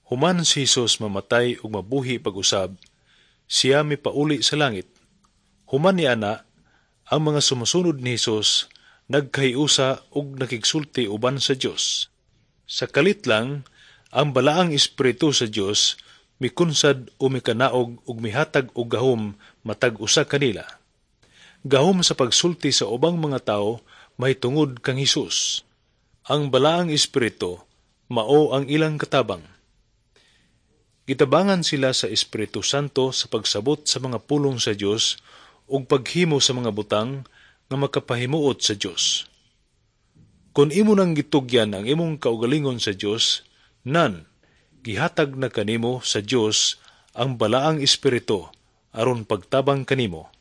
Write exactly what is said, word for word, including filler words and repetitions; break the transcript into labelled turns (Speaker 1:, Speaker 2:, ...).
Speaker 1: Human si Hesus mamatay ug mabuhi pag-usab, siya mipauli sa langit. Human niana, ang mga sumusunod ni Hesus nagkahiusa ug nakigsulti uban sa Dios. Sa kalit lang, ang balaang Espiritu sa Dios mikunsad o mikanaog ug mihatag og gahom matag usa kanila. Gahom sa pagsulti sa ubang mga tawo mahitungod kang Hesus. Ang balaang Espiritu mao ang ilang katabang. Gitabangan sila sa Espiritu Santo sa pagsabot sa mga pulong sa Dios ug paghimo sa mga butang nga makapahimuot sa Dios. Kon imo nang gitugyan ang imong kaugalingon sa Dios, nan gihatag na kanimo sa Dios ang balaang Espiritu aron pagtabang kanimo.